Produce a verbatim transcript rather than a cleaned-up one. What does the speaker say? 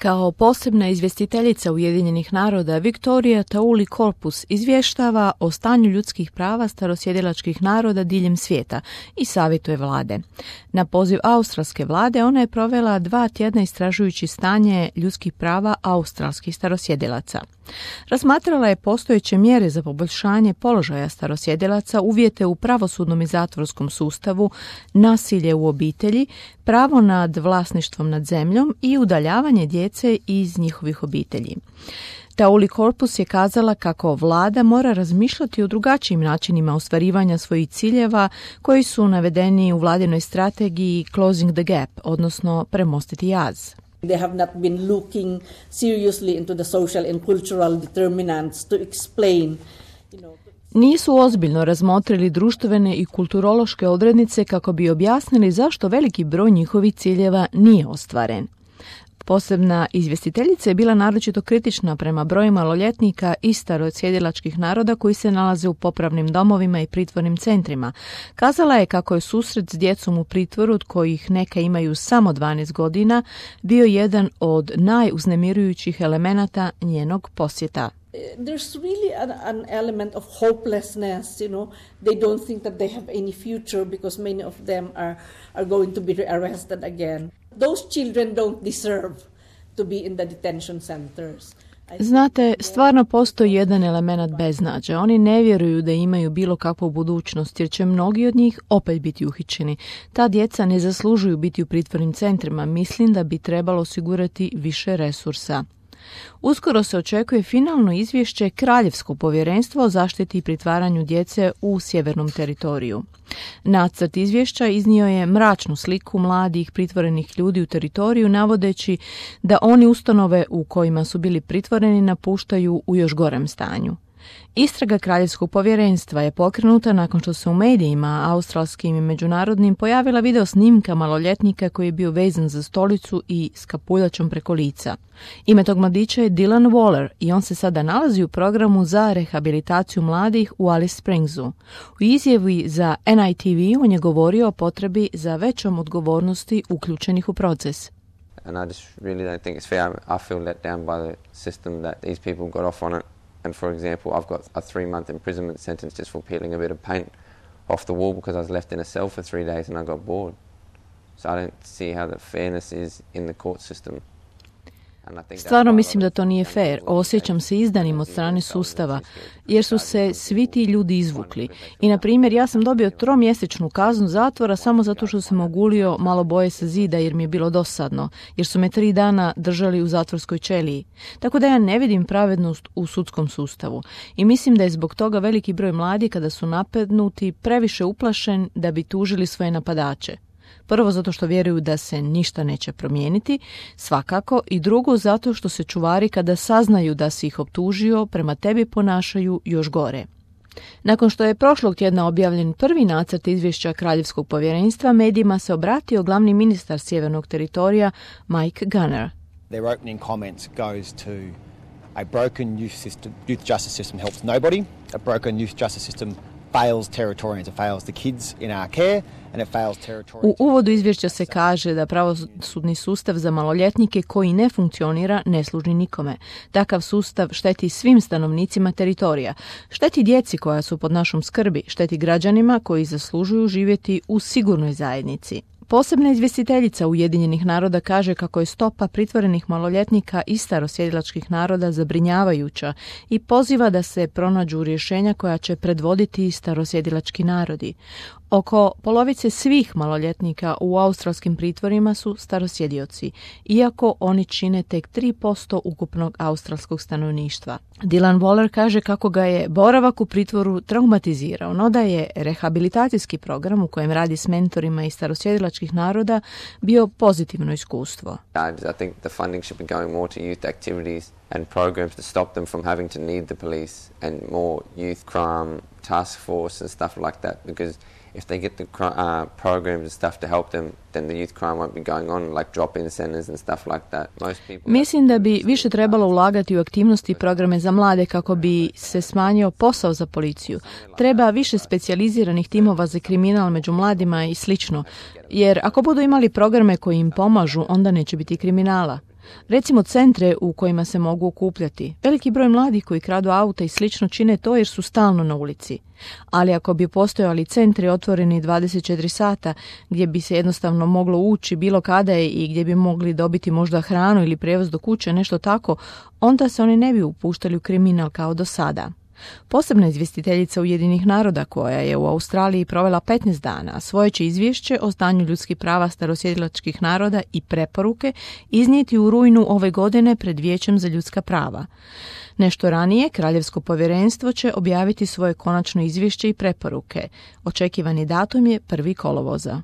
Kao posebna izvjestiteljica Ujedinjenih naroda, Victoria Tauli-Corpus izvještava o stanju ljudskih prava starosjedilačkih naroda diljem svijeta i savjetuje vlade. Na poziv australske vlade ona je provela dva tjedna istražujući stanje ljudskih prava australskih starosjedilaca. Razmatrala je postojeće mjere za poboljšanje položaja starosjedilaca, uvjete u pravosudnom i zatvorskom sustavu, nasilje u obitelji, pravo nad vlasništvom nad zemljom i udaljavanje djece iz njihovih obitelji. Tauli-Corpus je kazala kako vlada mora razmišljati o drugačijim načinima ostvarivanja svojih ciljeva koji su navedeni u vladinoj strategiji Closing the Gap, odnosno premostiti jaz. They have not been looking seriously into the social and cultural determinants to explain, you know, Nisu ozbiljno razmotrili društvene i kulturološke odrednice kako bi objasnili zašto veliki broj njihovih ciljeva nije ostvaren. Posebna izvjestiteljica je bila naročito kritična prema broju maloljetnika i starosjedilačkih naroda koji se nalaze u popravnim domovima i pritvornim centrima. Kazala je kako je susret s djecom u pritvoru, od kojih neka imaju samo dvanaest godina, bio jedan od najuznemirujućih elemenata njenog posjeta. There's really an, an element of hopelessness, you know. They don't think that they have any future because many of them are, are going to be arrested again. Those children don't deserve to be in the detention centers. Znate, stvarno postoji jedan element beznađa. Oni ne vjeruju da imaju bilo kakvu budućnost, jer će mnogi od njih opet biti uhićeni. Ta djeca ne zaslužuju biti u pritvornim centrima. Mislim da bi trebalo osigurati više resursa. Uskoro se očekuje finalno izvješće Kraljevskog povjerenstva o zaštiti i pritvaranju djece u sjevernom teritoriju. Nacrt izvješća iznio je mračnu sliku mladih pritvorenih ljudi u teritoriju, navodeći da oni ustanove u kojima su bili pritvoreni napuštaju u još gorem stanju. Istraga Kraljevskog povjerenstva je pokrenuta nakon što se u medijima, australskim i međunarodnim, pojavila video snimka maloljetnika koji je bio vezan za stolicu i s kapuljačom preko lica. Ime tog mladića je Dylan Waller i on se sada nalazi u programu za rehabilitaciju mladih u Alice Springsu. U izjavi za N I T V on je govorio o potrebi za većom odgovornosti uključenih u proces. And I just really don't think it's fair. I feel let down by the system that these people got off on it. And for example, I've got a three-month imprisonment sentence just for peeling a bit of paint off the wall because I was left in a cell for three days and I got bored. So I don't see how the fairness is in the court system. Stvarno mislim da to nije fair. Osjećam se izdanim od strane sustava, jer su se svi ti ljudi izvukli. I, na primjer, ja sam dobio tromjesečnu kaznu zatvora samo zato što sam ogulio malo boje sa zida jer mi je bilo dosadno, jer su me tri dana držali u zatvorskoj ćeliji. Tako da ja ne vidim pravednost u sudskom sustavu. I mislim da je zbog toga veliki broj mladih, kada su napadnuti, previše uplašen da bi tužili svoje napadače. Prvo zato što vjeruju da se ništa neće promijeniti, svakako, i drugo zato što se čuvari kada saznaju da si ih optužio prema tebi ponašaju još gore. Nakon što je prošlog tjedna objavljen prvi nacrt izvješća Kraljevskog povjerenstva, medijima se obratio glavni ministar sjevernog teritorija Mike Gunner. Their opening comments goes to a broken youth system, youth justice system helps nobody, a broken youth justice system fails Territorians, it fails the kids in our care. U uvodu izvješća se kaže da pravosudni sustav za maloljetnike koji ne funkcionira ne služi nikome. Takav sustav šteti svim stanovnicima teritorija, šteti djeci koja su pod našom skrbi, šteti građanima koji zaslužuju živjeti u sigurnoj zajednici. Posebna izvjestiteljica Ujedinjenih naroda kaže kako je stopa pritvorenih maloljetnika i starosjedilačkih naroda zabrinjavajuća i poziva da se pronađu rješenja koja će predvoditi starosjedilački narodi. Oko polovice svih maloljetnika u australskim pritvorima su starosjedioci, iako oni čine tek tri posto ukupnog australskog stanovništva. Dylan Waller kaže kako ga je boravak u pritvoru traumatizirao, no da je rehabilitacijski program u kojem radi s mentorima iz starosjedilačkih naroda bio pozitivno iskustvo. I think the funding should be going more to youth activities and programs to stop them from having to need the police and more youth crime task force and stuff like that, because if they get the uh, programs and stuff to help them, then the youth crime won't be going on, like drop-in centers and stuff like that. Most people... Mislim da bi više trebalo ulagati u aktivnosti i programe za mlade kako bi se smanjio posao za policiju. Treba više specijaliziranih timova za kriminal među mladima i slično, jer ako budu imali programe koji im pomažu, onda neće biti kriminala. Recimo centre u kojima se mogu okupljati. Veliki broj mladih koji kradu auta i slično čine to jer su stalno na ulici. Ali ako bi postojali centri otvoreni dvadeset četiri sata gdje bi se jednostavno moglo ući bilo kada je i gdje bi mogli dobiti možda hranu ili prijevoz do kuće, nešto tako, onda se oni ne bi upuštali u kriminal kao do sada. Posebna izvjestiteljica Ujedinjenih naroda koja je u Australiji provela petnaest dana, svoje će izvješće o stanju ljudskih prava starosjedilačkih naroda i preporuke iznijeti u rujnu ove godine pred Vijećem za ljudska prava. Nešto ranije, Kraljevsko povjerenstvo će objaviti svoje konačno izvješće i preporuke. Očekivani datum je prvi kolovoza.